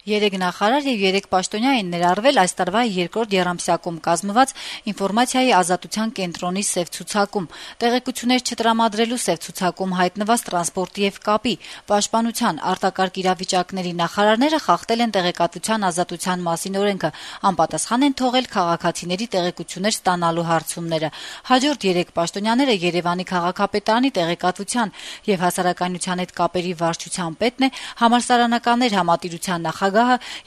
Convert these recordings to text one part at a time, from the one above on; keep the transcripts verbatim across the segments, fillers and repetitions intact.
Երեք նախարար եւ երեք պաշտոնյա են ներառվել այս տարվա երկրորդ եռամսյակում կազմված ինֆորմացիայի ազատության կենտրոնի սև ցուցակում, տեղեկություններ չտրամադրելու սև ցուցակում հայտնված տրանսպորտի եւ կապի, պաշտպանության, արտակարգ իրավիճակների նախարարները խախտել են տեղեկատվության ազատության մասին օրենքը, անպատասխան են թողել քաղաքացիների տեղեկություններ ստանալու հարցումները։ Հաջորդ երեք պաշտոնյաները Երևանի քաղաքապետարանի տեղեկատվության եւ հասարակայնության հետ կապերի վարչության պետն է, համալսարանականներ համատիրության նախագահ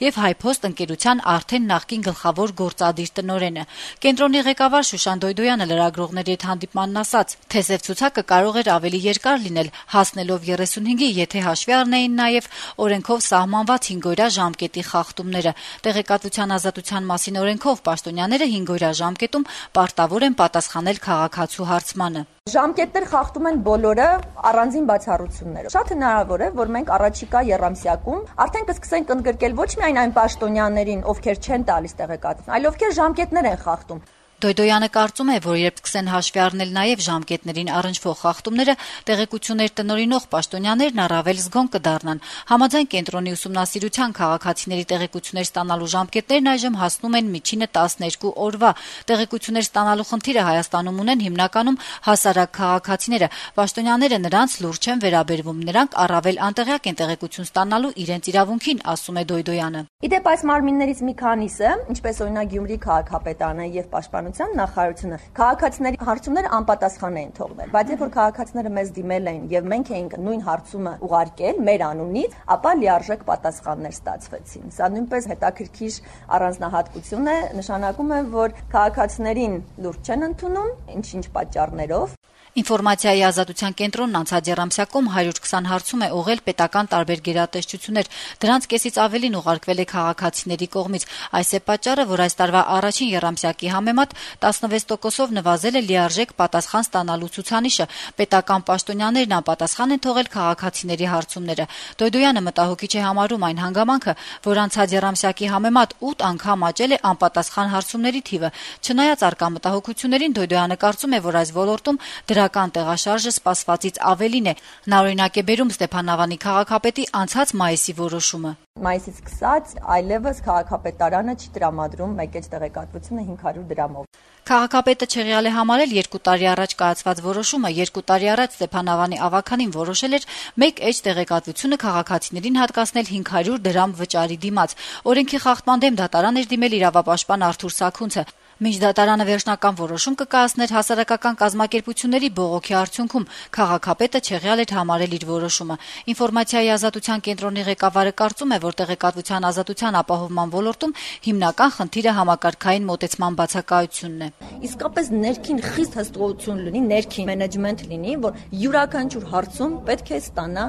եւ Հայփոստ ընկերության արդեն նախկին գլխավոր գործադիր տնօրենը։ Կենտրոնի ղեկավար Շուշան Դոյդոյանը լրագրողների հետ հանդիպմանն ասաց, թե սև ցուցակը կարող էր ավելի երկար լինել, հասնելով երեսունհինգի, եթե հաշվի առնեին նաեւ օրենքով սահմանված հինգօրյա ժամկետի խախտումները։ Տեղեկատվության ազատության մասին օրենքով պաշտոնյաները հինգօրյա ժամկետում պարտավոր են պատասխանել քաղաքացու հարցմանը։ Ժամկետներ խախտում են բոլորը առանձին բացառություններով։ Շատ հնարավոր է, որ մենք առաջիկա եռամսյակում արդեն կսկսենք ընդգրկել ոչ միայն այն պաշտոնյաներին, ովքեր չեն տալիս տեղեկատվություն, այլ ովքեր ժամկետներ են խախտում։ Դոյդոյանը կարծում է, որ երբ սկսեն հաշվի առնել նաև ժամկետներին առնչվող խախտումները, տեղեկություններ տնօրինող պաշտոնյաներն առավել զգոն կդառնան։ Համաձայն կենտրոնի ուսումնասիրության քաղաքացիների տեղեկություններ ստանալու ժամկետներն այժմ հասնում են միջինը տասներկու օրվա։ Տեղեկություններ ստանալու խնդիրը Հայաստանում ունեն հիմնականում հասարակ քաղաքացիները։ Պաշտոնյաները նրանց լուրջ չեն վերաբերվում, նրանք առավել անտեղյակ են տեղեկություն ստանալու իրենց իրավունքին, ասում է Դոյդոյանը։ Իդեպ այս մարմիններից մի քանիսը, ինչպես օրինակ Գյումրի քաղաքապետարանը եւ պաշտպանության նախարարությունը, քաղաքացիների հարցումները անպատասխան էին թողնել, բայց երբ որ քաղաքացիները մեզ դիմել էին եւ մենք էինք նույն հարցումը ուղարկել մեր անունից, ապա լիարժեք պատասխաններ ստացվեցին։ Սա նույնպես հետաքրքիր առանձնահատկություն է, նշանակում է, որ քաղաքացիներին լուրջ չեն ընդունում, ինչ-ինչ պատճառներով։ Ինֆորմացիայի ազատության կենտրոնն անցած եռամսյակում հարյուր քսան հարցում է ուղղել պետական տարբեր գերատեսչություններ։ Դրանց կեսից ավելին ուղարկվել է քաղաքացիների կողմից։ Այս է պատճառը, որ այս տարվա առաջին եռամսյակի համեմատ տասնվեց տոկոսով նվազել է լիարժեք պատասխան ստանալու ցուցանիշը։ Պետական պաշտոնյաներն անպատասխան են թողել քաղաքացիների հարցումները։ Դոյդոյանը մտահոգիչ է համարում այն հանգամանքը, որ անցած եռամսյակի համեմատ ութ անգամ աճել է անպատասխան հարցումների թիվը։ Չնայած առկա մտահոգություններին, Դոյդոյանը կարծում է, որ այս ոլորտում դրական տեղաշարժը սպասվածից ավելին է։ Նա օրինակ է բերում Ստեփանավանի քաղաքապետի անցած մայիսի որոշումը։ Մայիսից սկսած այլևս քաղաքապետարանը չի տրամադրում մեկ էջ տեղեկատվությունը հինգ հարյուր դրամով։ Քաղաքապետը չեղյալ է համարել երկու տարի առաջ կայացված որոշումը։ Երկու տարի առաջ Ստեփանավանի ավականին որոշել էր մեկ էջ տեղեկատվությունը քաղաքացիներին հատկացնել հինգ հարյուր դրամ վճարի դիմաց։ Օրենքի խախտման դեմ դատարան էր դիմել իրավապաշտպան Արթուր Սաքունցը։ Մինչ դատարանը վերջնական որոշում կկայացներ հասարակական կազմակերպությունների բողոքի արդյունքում, քաղաքապետը չեղյալ էր համարել իր որոշումը։ Ինֆորմացիայի ազատության կենտրոնի ղեկավարը կարծում է, որ տեղեկատվության ազատության ապահովման ոլորտում հիմնական խնդիրը համակարգային մոտեցման բացակայությունն է։ Իսկապես ներքին խիստ հսկողություն լինի, ներքին մենեջմենտ լինի, որ յուրաքանչյուր հարցում պետք է ստանա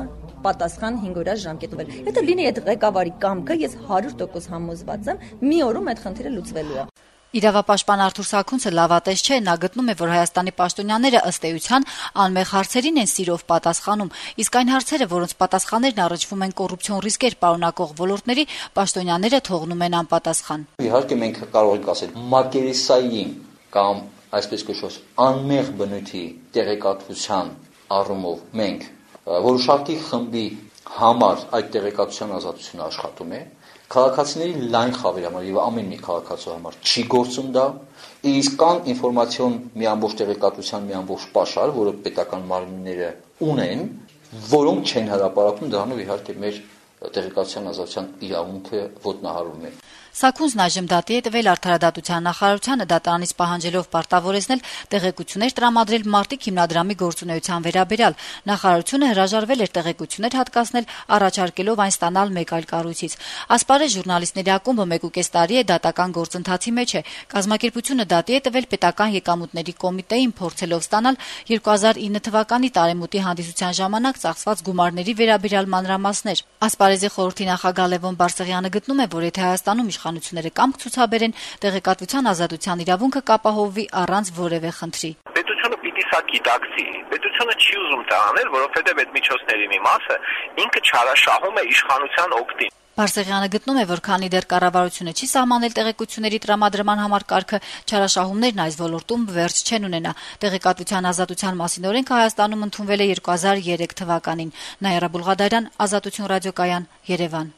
պատասխան հինգօրյա ժամկետով։ Եթե լինի այդ ղեկավարի կամքը, ես հարյուր տոկոս համոզված եմ, մի օրում այդ խնդիրը լուծվելու է։ Իրավապաշտպան Արթուր Սաքունցը լավատես չէ, նա գտնում է, որ Հայաստանի պաշտոնյաները ըստ էության անմեղ հարցերին են սիրով պատասխանում, իսկ այն հարցերը, որոնց պատասխաններն առնչվում են կոռուպցիոն ռիսկեր պարունակող ոլորտների, պաշտոնյաները թողնում են անպատասխան։ Իհարկե մենք կարող ենք ասել մակերեսային կամ այսպես կոչված անմեղ բնույթի տեղեկատվության առումով մենք որոշակի խմբի համար այդ տեղեկատվության ազատությունը աշխատում է։ Քաղաքացիների լայն խավերի համար եւ ամեն մի քաղաքացու համար չի գործում դա, իսկ կան ինֆորմացիոն մի ամբողջ տեղեկատվության մի ամբողջ պաշար, որը պետական մարմինները ունեն, որոնք չեն հրապարակում, դրանով իհարկե մեր տեղեկատվության ազատության իրավունքը ոտնահարվում է։ Սաքունցն այժմ դատի է տվել Արդարադատության նախարարությանը դատարանից պահանջելով պարտավորեցնել տեղեկություններ տրամադրել Մարտիկ հիմնադրամի գործունեության վերաբերյալ։ Նախարարությունը հրաժարվել էր տեղեկություններ հատկացնել, առաջարկելով այն ստանալ մեկ այլ կառույցից։ Ասպարեզ ժուրնալիստների ակումբը մեկուկես տարի է դատական գործընթացի մեջ է։ Կազմակերպությունը դատի է տվել պետական եկամուտների կոմիտեին, փորձելով ստանալ երկու հազար ինը թվականի տարեմուտի հանդիսության ժամանակ ծախսված գումարների վերաբերյալ մանրամասներ։ Ասպարեզի խորհրդի նախագահ Լևոն Բարսեղյանը գտնում է, որ եթե Հայաստանում իշխանությունները կամք ցուցաբերեն, տեղեկատվության ազատության իրավունքը կապահովվի առանց որևէ խնդրի։ Պետությունը պիտի սա գիտակցի։ Պետությունը չի ուզում դա անել, որովհետև այդ միջոցների մի մասը ինքը չարաշահում է իշխանության օգտին։ Բարսեղյանը գտնում է, որ քանի դեռ կառավարությունը չի սահմանել տեղեկությունների տրամադրման համար կարգը, չարաշահումներն այս ոլորտում վերջ չեն ունենա։ Տեղեկատվության ազատության մասին օրենքը Հայաստանում ընդունվել է երկու հազար երեք թվականին։ Նաիրա Բուլղադարյան, Ազատություն ռադիոկայան, Երևան։